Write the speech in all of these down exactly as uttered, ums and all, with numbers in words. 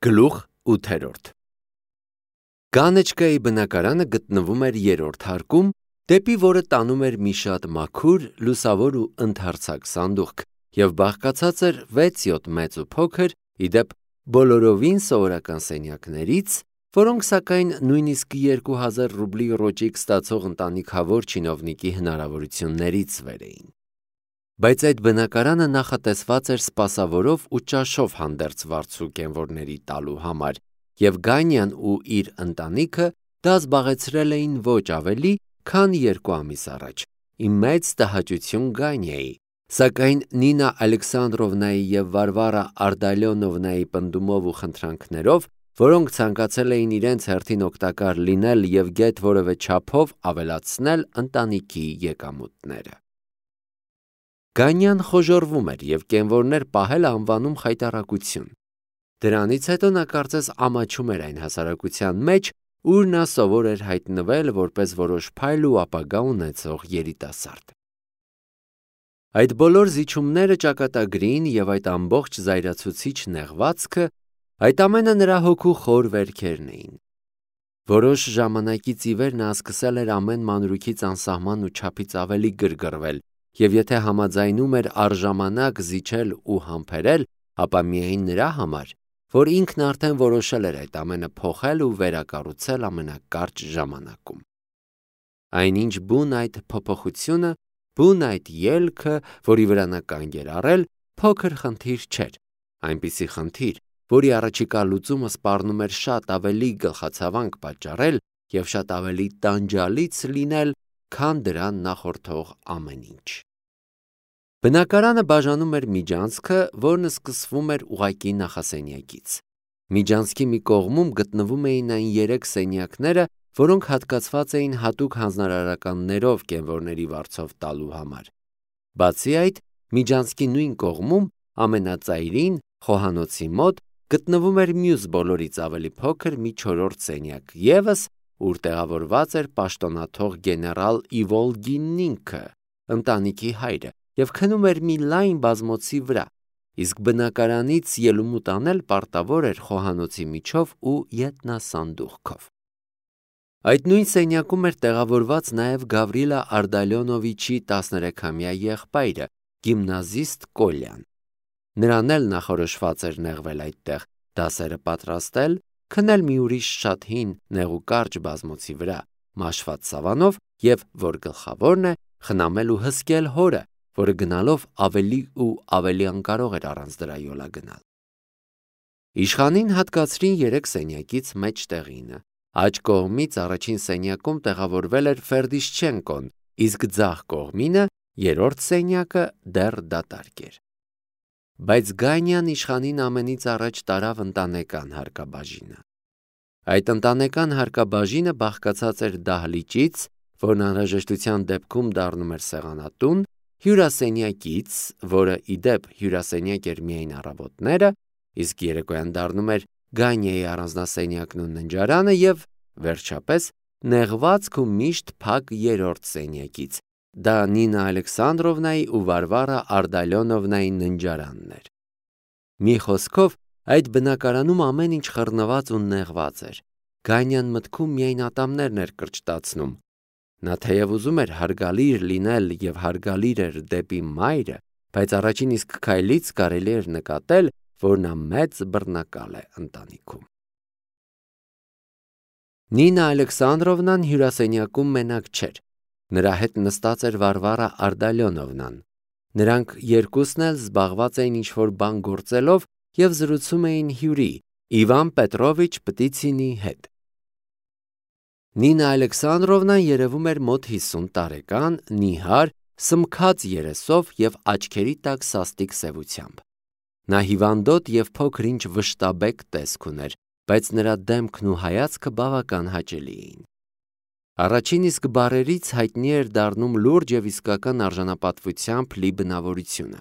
Գլուխ ութերորդ Կանեչկայի բնակարանը գտնվում էր երրորդ հարկում, դեպի որը տանում էր մի շատ մաքուր, լուսավոր ու ընդարձակ սանդուղք և բաղկացած էր վեց-յոթ մեծ ու փոքր, ի դեպ բոլորովին սովորական սենյակներից, որոնք սակայն նույնիսկ երկու հազար ռուբլի ռոճիկ ստացող ընտանիքավոր չինովնիկի հնարավորություններից վեր էին։ Բայց այդ բնակարանը նախատեսված էր սպասավորով ու ճաշով հանդերձ վարձու կենվորների տալու համար, և Գանյան ու իր ընտանիքը դա զբաղեցրել էին ոչ ավելի, քան երկու ամիս առաջ, ի մեծ տհաճություն Գանյայի, սակայն Նինա Ալեքսանդրովնայի և Վարվարա Արտալյոնովնայի պնդումով ու խնդրանքներով, որոնք ցանկացել էին իրենց հերթին օգտակար լինել և գեթ որևէ չափով ավելացնել ընտանիքի եկամուտները։ Գանյան խոժոռվում էր և կենվորներ պահելը անվանում խայտառակություն։ Դրանից հետո նա կարծես ամաչում էր այն հասարակության մեջ, ուր նա սովոր էր հայտնվել որպես որոշ փայլ ու ապագա ունեցող երիտասարդ։ Այդ բոլոր զիջումները ճակատագրին և այդ ամբողջ զայրացուցիչ նեղվածքը, այդ ամենը նրա հոգու խոր վերքերն էին։ Որոշ ժամանակից ի վեր նա սկսել էր ամեն մանրուքից անսահման ու չափից ավելի գրգռվել, և եթե համաձայնում էր առժամանակ զիջել ու համբերել, ապա միայն նրա համար, որ ինքն արդեն որոշել էր այդ ամենը փոխել ու վերակառուցել ամենակարճ ժամանակում։ Այնինչ բուն այդ փոփոխությունը, բուն այդ ելքը, որի վրա նա կանգ էր առել, փոքր խնդիր չէր, այնպիսի խնդիր, որի առաջիկա լուծումը սպառնում էր շատ ավելի գլխացավանք պատճառել և շատ ավելի տանջալից լինել, քան դրան նախորդող ամեն ինչ։ Բնակարանը բաժանում էր միջանցքը, որն սկսվում էր ուղղակի նախասենյակից։ Միջանցքի մի կողմում գտնվում էին այն երեք սենյակները, որոնք հատկացված էին հատուկ հանձնարարականներով կենվորների վարձով տալու համար։ Բացի այդ, միջանցքի նույն կողմում, ամենածայրին, խոհանոցի մոտ, գտնվում էր մյուս բոլորից ավելի փոքր մի չորրորդ սենյակ ևս, ուր տեղավորված էր պաշտոնաթող գեներալ Իվոլգինն ինքը, ընտանիքի հայրը, և քնում էր մի լայն բազմոցի վրա, իսկ բնակարանից ելումուտ անել պարտավոր էր խոհանոցի միջով ու ետնասանդուղքով։ Այդ նույն սենյակում էր տեղավորված նաև Գավրիլա Արտալյոնովիչի տասներեքամյա եղբայրը, գիմնազիստ Կոլյան։ Նրան էլ նախորոշված էր նեղվել այդտեղ, դասերը պատրաստել, քնել մի ուրիշ շատ հին, նեղուկարճ բազմոցի վրա, մաշված սավանով և, որ գլխավորն է, խնամել ու հսկել հորը, որը գնալով ավելի ու ավելի անկարող էր առանց դրա յոլա գնալ։ Իշխանին հատկացրին երեք սենյակից մեջտեղինը։ Աջ կողմից առաջին սենյակում տեղավորվել էր Ֆերդիշչենկոն, իսկ ձախ կողմինը, երրորդ սենյակը, դեռ դատարկ էր։ Բայց Գանյան իշխանին ամենից առաջ տարավ ընտանեկան հարկաբաժինը։ Այդ ընտանեկան հարկաբաժինը բաղկացած էր դահլիճից, որն անհրաժեշտության դեպքում դառնում էր սեղանատուն, հյուրասենյակից, որը ի դեպ հյուրասենյակ էր միայն առավոտները, իսկ երեկոյան դառնում էր Գանյայի առանձնասենյակն ու ննջարանը, և, վերջապես, նեղվածք ու միշտ փակ երրորդ սենյակից, դա Նինա Ալեքսանդրովնայի ու Վարվարա Արտալյոնովնայի ննջարանն էր։ Մի խոսքով, այդ բնակարանում ամեն ինչ խռնված ու նեղված էր։ Գանյան մտքում միայն ատամներն էր կրճտացնում։ Նա թեև ուզում էր հարգալիր լինել և հարգալիր էր դեպի մայրը, բայց առաջին իսկ քայլից կարելի էր նկատել, որ նա մեծ բռնակալ է ընտանիքում։ Նինա Ալեքսանդրովնան հյուրասենյակում մենակ չէր։ Նրա հետ նստած էր Վարվարա Արտալյոնովնան։ Նրանք երկուսն էլ զբաղված էին ինչ-որ բան գործելով և զրուցում էին հյուրի՝ Իվան Պետրովիչ Պտիցինի հետ։ Նինա Ալեքսանդրովնան երևում էր մոտ հիսուն տարեկան, նիհար, սմքած երեսով և աչքերի տակ սաստիկ սևությամբ։ Նա հիվանդոտ և փոքր-ինչ վշտաբեկ տեսք ուներ, բայց նրա դեմքն ու հայացքը բավական հաճելի էին։ Առաջին իսկ բառերից հայտնի էր դառնում լուրջ և իսկական արժանապատվությամբ լի բնավորությունը։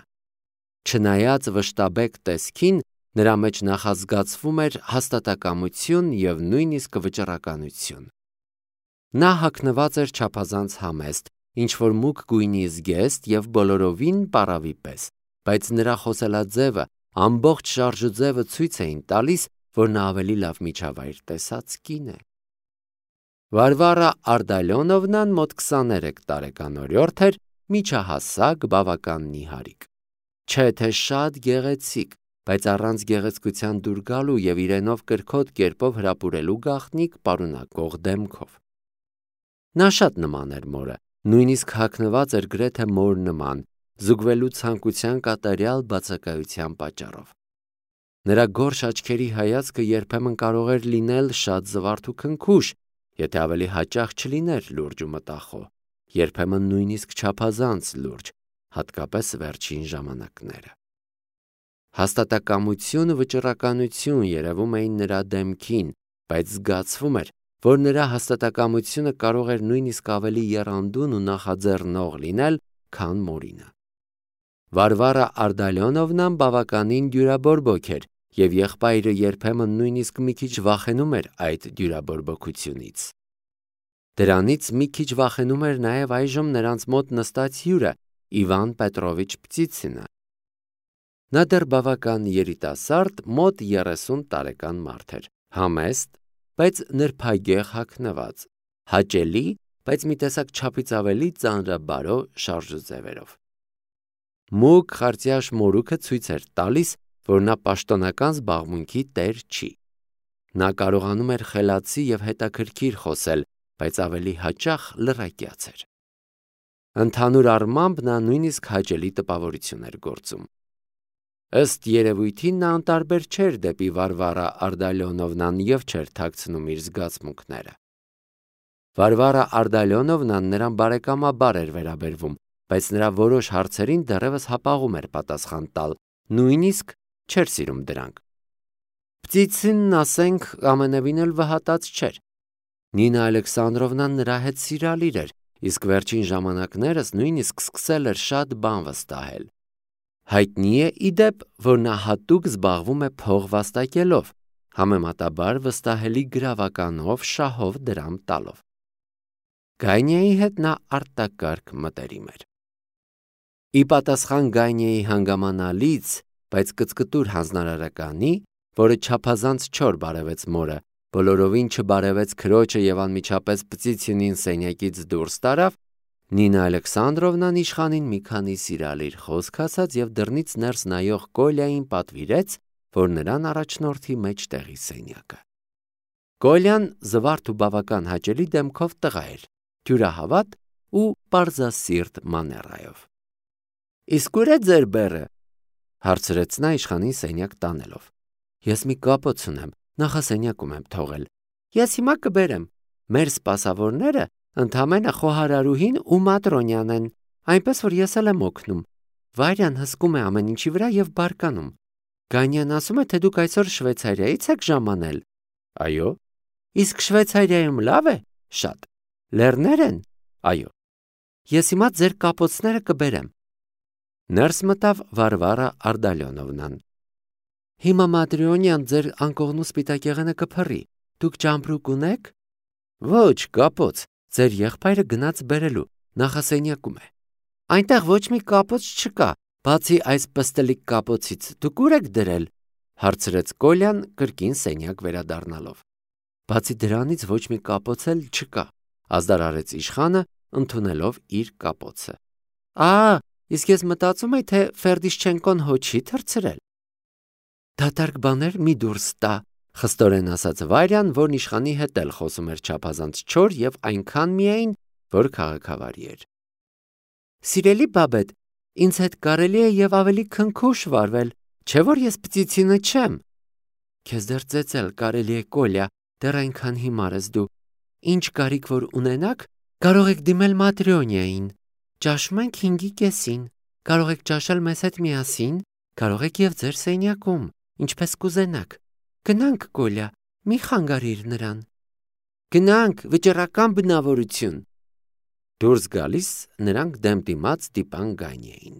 Չնայած վշտաբեկ տեսքին, նրա մեջ նախազգացվում էր հաստատակամություն և նույնիսկ վճռականություն։ Նա հագնված էր չափազանց համեստ, ինչ-որ մուգ գույնի զգեստ և բոլորովին պառավի պես, բայց նրա խոսելաձևը, ամբողջ շարժուձևը ցույց էին տալիս, որ նա ավելի լավ միջավայր տեսած կին է։ Վարվարա Արդալյոնովնան մոտ քսաներեք տարեկանորյորդ էր, միջահասակ, բավական նիհարիկ։ Չէ թե շատ գեղեցիկ, բայց առանց գեղեցկության դուր գալու եւ իրենով կրքոտ կերպով հրապուրելու գաղտնիք պարունակող դեմքով։ Նա շատ նման էր մորը, նույնիսկ հագնված էր գրեթե մոր նման, զուգվելու ցանկության կատարյալ բացակայության պատճառով։ Նրա գորշ աչքերի հայացքը երբեմն կարող էր լինել շատ զվարթ ու քնքուշ, եթե ավելի հաճախ չլիներ լուրջ ու մտախոհ, երբեմն նույնիսկ չափազանց լուրջ, հատկապես վերջին ժամանակները։ Հաստատակամություն ու վճռականություն երևում էին նրա դեմքին, բայց զգացվում էր, որ նրա հաստատակամությունը կարող էր նույնիսկ ավելի եռանդուն ու նախաձեռնող լինել, քան մորինը։ Վարվարա Արդալյոնովնան բավականին դյուրաբորբոք էր, եւ եղբայրը երբեմն նույնիսկ մի քիչ վախենում էր այդ դյուրաբորբոքությունից։ Դրանից մի քիչ վախենում էր նաեւ այժմ նրանց մոտ նստած հյուրը Իվան Պետրովիչ Պտիցինը։ Նա դեռ բավական երիտասարդ, մոտ երեսուն տարեկան մարդ էր, համեստ, բայց նրբագեղ հագնված, հաճելի, բայց մի տեսակ չափից ավելի ծանրաբարո շարժուձևերով։ Մուգ խարտյաշ մորուքը ցույց էր տալիս, որ նա պաշտոնական զբաղմունքի տեր չի։ Նա կարողանում էր խելացի եւ հետաքրքիր խոսել, բայց ավելի հաճախ լռակյաց էր։ Ընդհանուր առմամբ նա նույնիսկ հաճելի տպավորություն էր գործում։ Ըստ երևույթին նա անտարբեր չէր դեպի Վարվարա Արդալյոնովնան եւ չէր թաքցնում իր զգացմունքները։ Վարվարա Արդալյոնովնան նրան բարեկամաբար էր վերաբերվում, բայց նրա որոշ հարցերին դեռևս հապաղում էր պատասխան տալ, նույնիսկ չէր սիրում դրանք։ Պտիցինն, ասենք, ամենևին էլ վհատած չէր։ Նինա Ալեքսանդրովնան նրա հետ սիրալիր էր, իսկ վերջին ժամանակներս նույնիսկ սկսել էր շատ բան վստահել։ Հայտնի է, ի դեպ, որ նա հատուկ զբաղվում է փող վաստակելով, համեմատաբար վստահելի գրավականով, շահով դրամ տալով։ Գայնիայի հետ նա արտակարգ մտերիմ էր։ Ի պատասխան Գայնիայի հանգամանալից, բայց կծկտուր հանձնարարականի, որը չափազանց չոր բարևեց մորը, բոլորովին չբարևեց քրոջը եւ անմիջապես Պտիցինին սենյակից դուրս տարավ, Նինա Ալեքսանդրովնան իշխանին մի քանի սիրալիր խոսք ասաց եւ դռնից ներս նայող Կոլյային պատվիրեց, որ նրան առաջնորդի մեջտեղի սենյակը։ Կոլյան զվարթ ու բավական հաճելի դեմքով տղա էր, թյուրահավատ ու պարզասիրտ մաներայով։ Իսկ ուր է ձեր բեռը, հարցրեց նա իշխանին սենյակ տանելով։ Ես մի կապոց ունեմ, նախասենյակում եմ թողել։ Ես հիմա կբերեմ։ Մեր սպասավորները ընդամենը խոհարարուհին ու Մատրոնյան են, այնպես որ ես էլ եմ օգնում։ Վարյան հսկում է ամեն ինչի վրա եւ բարկանում։ Գանյան ասում է, թե դուք այսօր Շվեյցարիայից եք ժամանել։ Այո։ Իսկ Շվեյցարիայում լավ է։ Շատ։ Լեռներ են։ Այո։ Ես հիմա ձեր կապոցները կբերեմ։ Ներս մտավ Վարվարա Արդալյոնովնան։ Հիմա Մատրոնյան ձեր անկողնու սպիտակ եղանը կփռի։ Դուք ճամպրուկ ունեք։ Ոչ, կապոց։ Ձեր եղբայրը գնաց բերելու, նախասենյակում է։ Այնտեղ ոչ մի կապոց չկա, բացի այս պստլիկ կապոցից։ Դուք ուր եք դրել, հարցրեց Կոլյան կրկին սենյակ վերադառնալով։ Բացի դրանից ոչ մի կապոց էլ չկա, ազդարարեց իշխանը, ընդունելով իր կապոցը։ Ա, իսկ ես մտածում եի, թե Ֆերդիշչենկոն հո չի թռցրել։ Դատարկ բաներ մի դուրս տա, խստորեն ասաց Վարյան, որն իշխանի հետ էլ խոսում էր չափազանց չոր եւ այնքան միայն, որ քաղաքավարի էր։ Սիրելի բաբետ, ինձ հետ կարելի է եւ ավելի քնքուշ վարվել, չէ՞ որ ես Պտիցինը չեմ։ Քեզ դեռ ծեծել կարելի է, Կոլյա, դեռ այնքան հիմար ես դու։ Ինչ կարիք որ ունենաք, կարող եք դիմել Մատրոնյային։ Ճաշում ենք հինգի կեսին, կարող եք ճաշել մեզ հետ միասին, կարող եք եւ ձեր սենյակում, ինչպես կուզենաք։ Գնանք, Կոլյա, մի խանգարիր նրան։ Գնանք, վճռական բնավորություն։ Դուրս գալիս նրանք դեմ դիմաց դիպան Գանիային։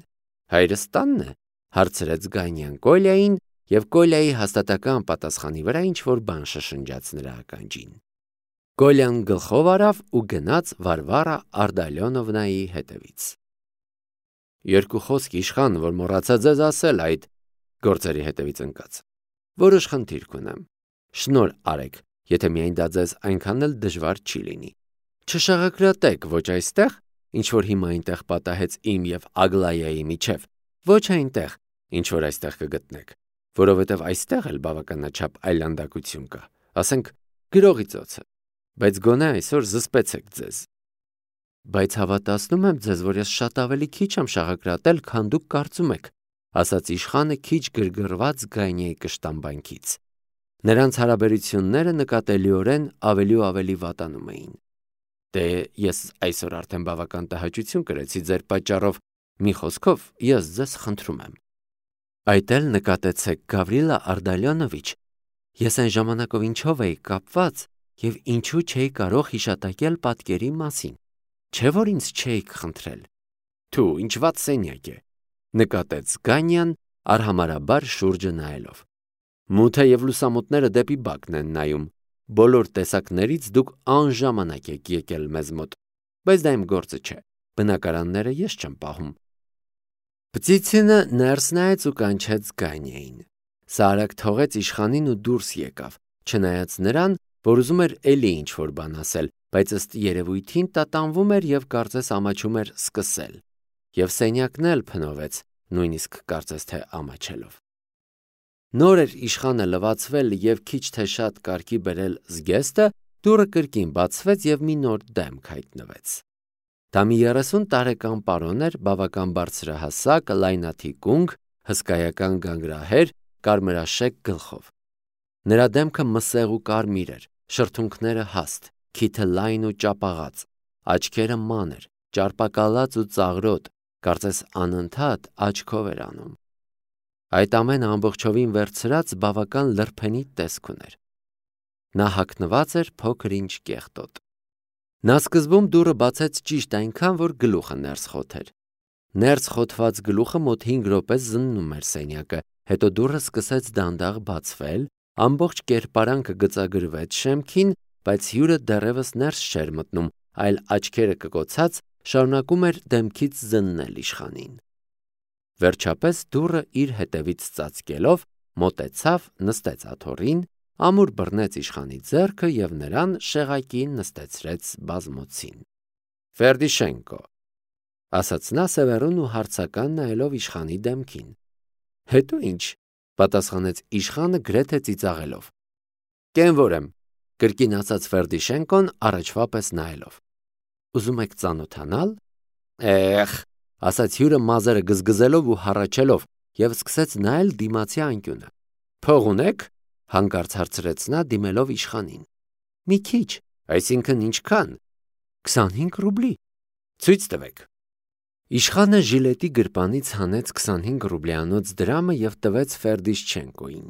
Հայրս տանն է, հարցրեց Գանյան Կոլյային, եւ Կոլյայի հաստատական պատասխանի վրա ինչ որ բան շշնջաց նրա ականջին։ Կոլյան գլխով արավ ու գնաց Վարվարա Արդալյոնովնայի հետևից։ Երկու խոսք իշխան, որ մոռացա ձեզ ասել այդ գործերի հետևից ընկած։ Որոշ խնդիր կունեմ։ Շնոր արեք, եթե միայն դա ձեզ այնքան էլ դժվար չի լինի։ Չշաղակրատեք ոչ այստեղ, ինչ որ հիմա այնտեղ պատահեց իմ եւ Ագլայայի միջև, ոչ այնտեղ, ինչ որ այստեղ կգտնեք, որովհետեւ այստեղ էլ բավականաչափ այլանդակություն կա, ասենք գրողի ծոցը, բայց գոնե այսօր զսպեցեք ձեզ։ Բայց հավատացնում եմ ձեզ, որ ես շատ ավելի քիչ եմ շաղակրատել, քան դուք կարծում եք, ասաց իշխանը քիչ գրգռված Գայնիայի կշտամբանքից։ Նրանց հարաբերությունները նկատելիորեն ավելի ու ավելի վատանում էին։ Դե ես այսօր արդեն բավական տհաճություն կրեցի ձեր պատճառով, մի խոսքով ես ձեզ խնդրում եմ։ Այդ էլ նկատեցեք, Գավրիլա Արդալյոնովիչ, ես այն ժամանակով ինչով էի կապված եւ ինչու չէի կարող հիշատակել պատկերի մասին։ Չէ՞ որ ինձ չէիք խնդրել։ Թու, ինչ վատ սենյակ է, նկատեց Գանյան արհամարհաբար շուրջը նայելով։ Մութը եւ լուսամուտները դեպի բակն են նայում։ Բոլոր տեսակներից դուք անժամանակ եք եկել մեզ մոտ, բայց դա իմ գործը չէ։ Բնակարանները ես չեմ պահում։ Պտիցինը ներս նայեց ու կանչեց Գանյային։ Սա արագ թողեց իշխանին ու դուրս եկավ, չնայած նրան, որ ուզում էր էլի ինչ-որ բան ասել, բայց ըստ երևույթին տատանվում էր եւ կարծես ամաչում էր սկսել։ Եվ սենյակն էլ փնովեց, նույնիսկ կարծես թե ամաչելով։ Նոր էր իշխանը լվացվել եւ քիչ թե շատ կարգի բերել զգեստը, դուռը կրկին բացվեց եւ մի նոր դեմք հայտնվեց։ Դա մի երեսուն տարեկան պարոն էր, բավական բարձրահասակ, լայնաթիկունք, հսկայական գանգրահեր, կարմրաշեկ գլխով։ Նրա դեմքը մսեղ ու կարմիր էր, շրթունքները հաստ, քիթը լայն ու ճապաղած, աչքերը մանր, ճարպակալած ու ծաղրոտ, կարծես անընդհատ աչքով էր անում։ Այդ ամենը ամբողջովին վերցրած բավական լրփենի տեսք ուներ։ Նա հագնված էր փոքր-ինչ կեղտոտ։ Նա սկզբում դուռը բացեց ճիշտ այնքան, որ գլուխը ներս խոթեր։ Ներս խոթված գլուխը մոտ հինգ րոպե զննում էր սենյակը, հետո դուռը սկսեց դանդաղ բացվել, ամբողջ կերպարանքը գծագրվեց շեմքին, բայց հյուրը դեռևս ներս չէր մտնում, այլ աչքերը կկոցած շարունակում էր դեմքից զննել իշխանին։ Վերջապես դուռը իր հետևից ծածկելով մոտեցավ, նստեց աթոռին, ամուր բռնեց իշխանի ձեռքը եւ նրան շեղակին նստեցրեց բազմոցին։ Ֆերդիշենկո, ասաց նա սևեռուն ու հարցական նայելով իշխանի դեմքին։ Հետո ինչ, պատասխանեց իշխանը գրեթե ծիծաղելով։ Կենվոր եմ, կրկին ասաց Ֆերդիշենկոն առաջվա պես նայելով։ Ուզում եք ծանոթանալ։ Էխ, ասաց հյուրը մազերը գզգզելով ու հառաչելով եւ սկսեց նայել դիմացի անկյունը։ Փող ունեք, հանկարծ հարցրեց նա դիմելով իշխանին։ Մի քիչ, այսինքն ինչքան։ քսանհինգ ռուբլի։ Ցույց տվեք։ Իշխանը ժիլետի գրպանից հանեց քսանհինգ ռուբլյանոց դրամը եւ տվեց Ֆերդիշչենկոին։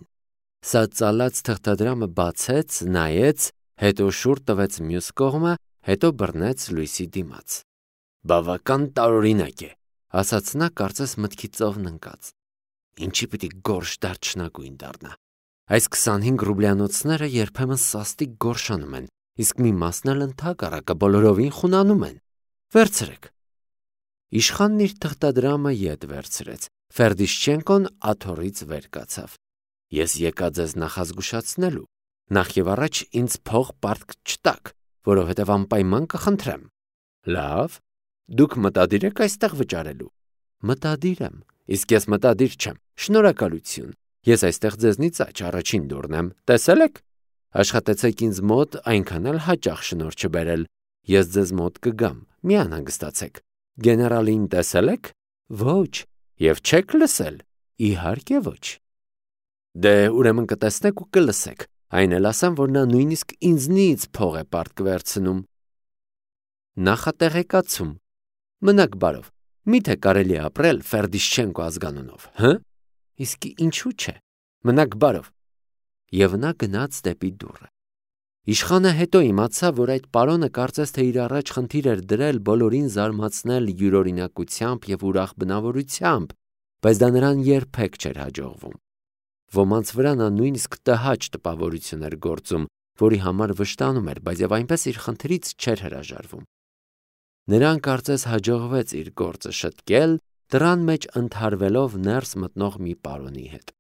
Սա ծալած թղթադրամը բացեց, նայեց, հետո շուռ տվեց մյուս կողմը, հետո բռնեց լույսի դիմաց։ Բավական տարօրինակ է, ասաց նա կարծես մտքի ծովն ընկած։ Ինչի պիտի գորշ դարչնագույն դառնա։ Այս քսանհինգ ռուբլյանոցները երբեմն սաստիկ գորշանում են, իսկ մի մասն էլ ընդհակառակը բոլորովին խունանում են։ Վերցրեք։ Իշխանն իր թղթադրամը ետ վերցրեց։ Ֆերդիշչենկոն աթոռից վեր կացավ։ Ես եկա ձեզ նախազգուշացնելու։ Նախ եւ առաջ ինձ փող պարտք չտաք, որովհետեւ անպայման կխնդրեմ։ Լավ, դուք մտադիր եք այստեղ վճարելու։ Մտադիր եմ, իսկ ես մտադիր չեմ։ Շնորհակալություն։ Ես այստեղ ձեզնից աճ առաջին դուրն եմ։ Տեսել եք։ Աշխատեցեք ինձ մոտ այնքան էլ հաճախ շնորհ չբերել։ Ես ձեզ մոտ կգամ։ Մի անհանգստացեք։ Գեներալին տեսել եք։ Ոչ։ Եվ չեք լսել։ Իհարկե ոչ։ Դե ուրեմն կտեսնեք ու կլսեք։ Այն էլ ասեմ, որ նա նույնիսկ ինձնից փող է պարտք վերցնում։ Նախատեղեկացում։ Մնաք բարով։ Միթե կարելի է ապրել Ֆերդիշչենկո ազգանունով, հը։ Իսկ ինչու՞ չէ։ Մնաք բարով։ Եվ նա գնաց դեպի դուռը։ Իշխանը հետո իմացավ, որ այդ պարոնը կարծես թե իր առաջ խնդիր էր դրել բոլորին զարմացնել յուրօրինակությամբ եւ ուրախ բնավորությամբ, բայց դա նրան երբեք չէր հաջողվում։ Ոմանց վրա նա նույնիսկ տհաճ տպավորություն էր գործում, որի համար վշտանում էր, բայց եւ այնպես իր խնդրից չէր հրաժարվում։ Նրան կարծես հաջողվեց իր գործը շտկել, դռան մեջ ընդհարվելով ներս մտնող մի պարոնի հետ։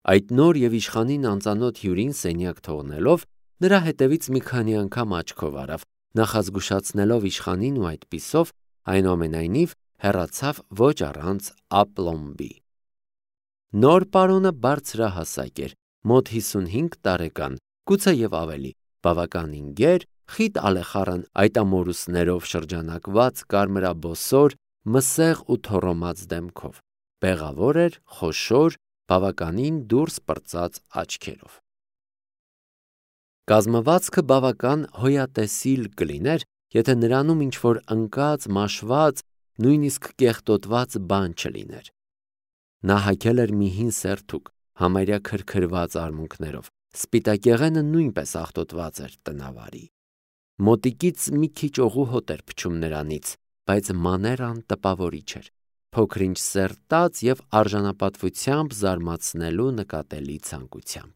Այդ նոր եւ իշխանին անծանոթ հյուրին սենյակ թողնելով, նրա հետևից մի քանի անգամ աչքով արավ, նախազգուշացնելով իշխանին ու այդպիսով այնուամենայնիվ հեռացավ ոչ առանց ապլոմբի։ Նոր պարոնը բարձրահասակ էր, մոտ հիսունհինգ տարեկան, գուցե եւ ավելի, բավականին գեր, խիտ ալեխառն այտամորուսներով շրջանակված կարմրաբոսոր, մսեղ ու թոռոմած դեմքով, բեղավոր էր, խոշոր, բավականին դուրս պրծած աչքերով։ Կազմվածքը բավական հոյատեսիլ կլիներ, եթե նրանում ինչ-որ ընկած, մաշված, նույնիսկ կեղտոտված բան չլիներ։ Նա հագել էր մի հին սերթուկ, համարյա քրքրված արմունկներով, սպիտակեղենը նույնպես աղտոտված էր տնավարի։ Մոտիկից մի քիչ օղու հոտ էր փչում նրանից, բայց մաներան տպավորիչ էր, փոքր-ինչ սերտած եւ արժանապատվությամբ զարմացնելու նկատելի ցանկությամբ։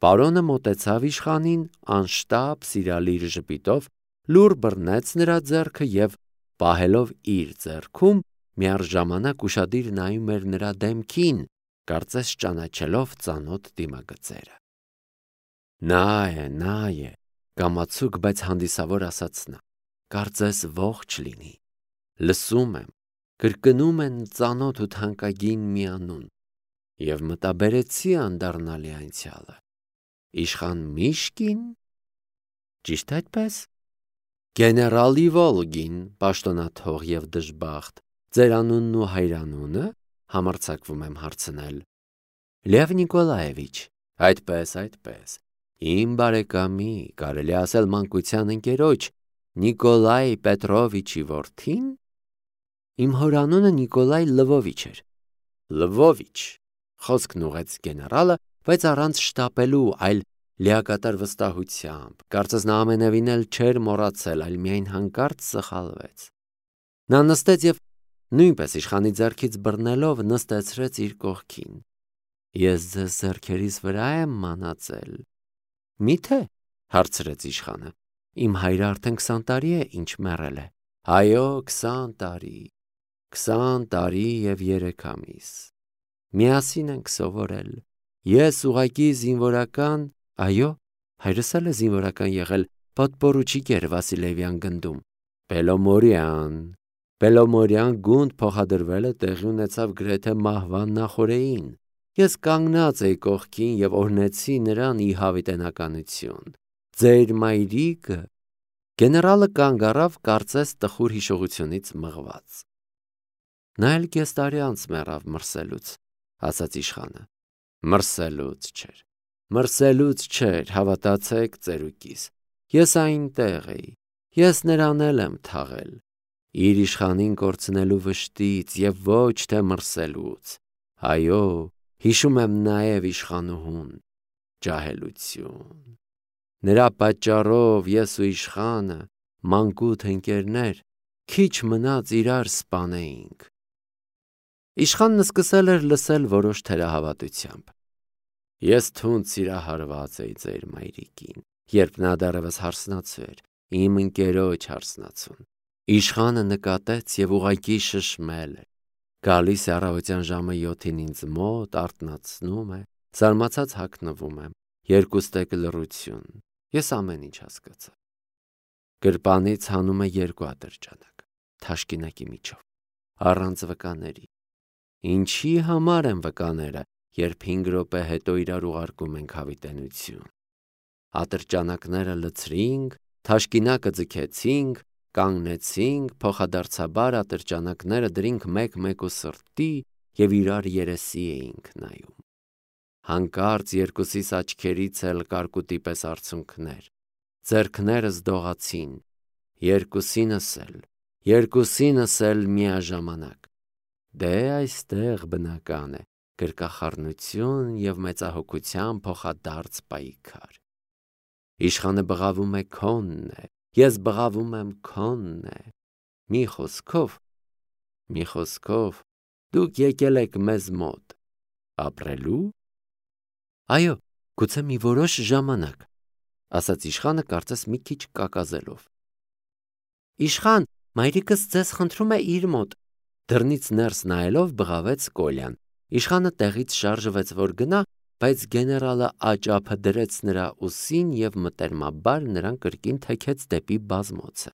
Պարոնը մոտեցավ իշխանին, անշտապ սիրալիր ժպիտով, լուռ բռնեց նրա ձեռքը եւ, պահելով իր ձեռքում, միառժամանակ ուշադիր նայում էր նրա դեմքին, կարծես ճանաչելով ծանոթ դիմագծերը։ Նա է, նա է, կամացուկ, բայց հանդիսավոր ասաց նա, կարծես ողջ լինի, լսում եմ, կրկնում են ծանոթ ու թանկագին մի անուն, եւ մտաբերեցի անդառնալի անցյալը, իշխան Միշկին, ճիշտ այդպես, գեներալ Իվոլգին, պաշտոնաթող եւ դժբախտ, ձեր անունն ու հայրանունը, համարձակվում եմ հարցնել, Լև Նիկոլաևիչ, այդպես, այդպես, իմ բարեկամի, կարելի ասել մանկության ընկերոջ, Նիկոլայ Պետրովիչի որդին, իմ հորանունը Նիկոլայ Լվովիչ էր, Լվովիչ, խոսքն ուղեց գեներալը, բայց առանց շտապելու, այլ լիակատար վստահությամբ, կարծես նա ամենևին էլ չէր մոռացել, այլ միայն հանկարծ սխալվեց։ Նա նստեց եւ նույնպես իշխանի ձեռքից բռնելով նստեցրեց իր կողքին։ Ես ձեզ ձեռքերիս վրա եմ մանածել։ Մի՞թե, հարցրեց իշխանը։ Իմ հայրը արդեն քսան տարի է, ինչ մեռել է։ Այո, քսան տարի, քսան տարի եւ երեք ամիս։ Միասին ենք սովորել։ Ես ուղակի զինվորական, այո, հայրս էլ է զինվորական եղել, պատպորուչիկ էր Վասիլևյան գնդում։ Պելոմորյան, Պելոմորյան գունդ փոխադրվելը տեղի ունեցավ գրեթե մահվան նախօրեին։ Ես կանգնած էի կողքին եւ օրհնեցի նրան ի հավիտենականություն։ Ձեր մայրիկը, գեներալը կանգ առավ, կարծես տխուր հիշողությունից մղված։ Նա էլ կես տարի անց մեռավ մրսելուց, ասաց իշխանը։ Մրսելուց չէր, մրսելուց չէր, հավատացեք ծերուկիս, ես այնտեղ էի, ես նրան էլ եմ թաղել, իր իշխանին կորցնելու վշտից եւ ոչ թե մրսելուց, այո, հիշում եմ նաեւ իշխանուհուն, ջահելություն, նրա պատճառով ես ու իշխանը, մանկուց ընկերներ, քիչ մնաց իրար սպանեինք։ Իշխանն սկսել էր լսել որոշ թերահավատությամբ։ Ես թունդ սիրահարված էի ձեր մայրիկին, երբ նա դեռևս հարսնացու էր, իմ ընկերոջ հարսնացուն։ Իշխանը նկատեց եւ ուղակի շշմել էր։ Գալիս է առավոտյան ժամը յոթին ինձ մոտ, արթնացնում է, զարմացած հագնվում եմ, երկուստեք լռություն, ես ամեն ինչ հասկացա։ Գրպանից հանում է երկու ատրճանակ, թաշկինակի միջով, առանց վկաների։ Ինչի համար են վկաները, երբ հինգ րոպե հետո իրար ուղարկում ենք հավիտենություն։ Ատրճանակները լցրինք, թաշկինակը ձգեցինք, կանգնեցինք, փոխադարձաբար ատրճանակները դրինք մեկ-մեկ ու սրտի եւ իրար երեսի էինք նայում։ Հանկարծ երկուսիս աչքերից էլ կարկուտի պես արցունքներ, ձեռքներս դողացին, երկուսինս էլ, երկուսինս էլ միաժամանակ։ Դե այստեղ բնական է, գրկախառնություն եւ մեծահոգության փոխադարձ պայքար։ Իշխանը բղավում է քոնն է, ես բղավում եմ քոնն է։ Մի խոսքով, մի խոսքով, դուք եկել եք մեզ մոտ, ապրելու։ Այո, գուցե մի որոշ ժամանակ, ասաց իշխանը կարծես մի քիչ կակազելով։ Իշխան, մայրիկս ձեզ խնդրում է իր մոտ, դռնից ներս նայելով բղավեց Կոլյան, Իշխանը տեղից շարժվեց, որ գնա, բայց գեներալը աճափը դրեց նրա ուսին և մտերմաբար նրան կրկին թեքեց դեպի բազմոցը։